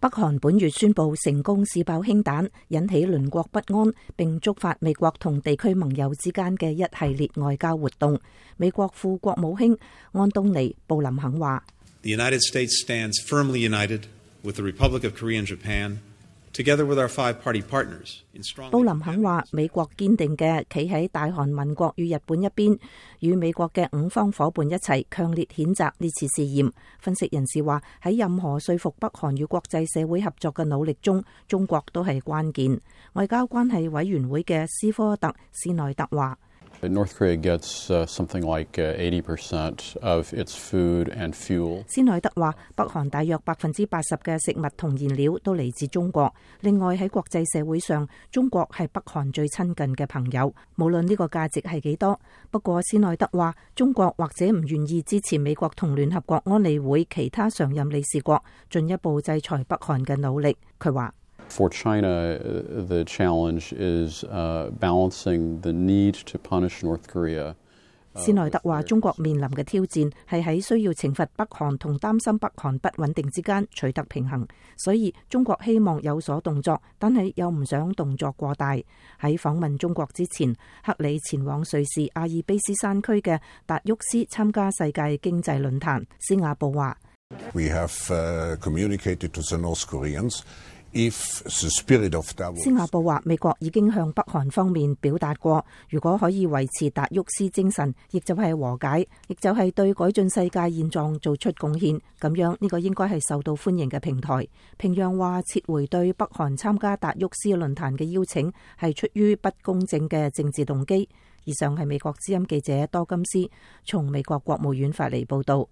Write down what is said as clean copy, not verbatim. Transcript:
北韓本月宣布成功試爆氫彈，引起鄰國不安，並觸發美國同地區盟友之間嘅一系列外交活動。美國副國務卿安東尼布林肯話：The United States stands firmly united with the Republic of Korea and Japan, together with our five-party partners. 布林肯話：美國堅定嘅企喺大韓民國與日本一邊，與美國嘅五方夥伴一齊強烈譴責呢次試驗。分析人士話：喺任何說服北韓與國際社會合作嘅努力中，中國都係關鍵。外交關係委員會嘅斯科特斯內特話：North Korea gets something like 80% of its food and fuel. 斯內德話：北韓大約80%嘅食物同燃料都嚟自中國。另外喺國際社會上，中國係北韓最親近嘅朋友，無論呢個價值係幾多。不過斯內德話，中國或者唔願意支持美國同聯合國安理會其他常任理事國進一步制裁北韓嘅努力。佢話：For China, the challenge is balancing the need to punish North Korea. 斯內德話：中國面臨嘅挑戰係喺需要懲罰北韓同擔心北韓不穩定之間取得平衡，所以中國希望有所動作，但係又唔想動作過大。喺訪問中國之前，克里前往瑞士阿爾卑斯山區嘅達沃斯參加世界經濟論壇。斯瓦布話：We have communicated to the North Koreans.斯瓦布話：美國已經向北韓方面表達過，如果可以維持達沃斯精神，亦就係和解，亦就係對改進世界現狀做出貢獻，咁樣呢個應該係受到歡迎嘅平台。平壤話撤回對北韓參加達沃斯論壇嘅邀請係出於不公正嘅政治動機。以上係美國之音記者多金斯從美國國務院發嚟報道。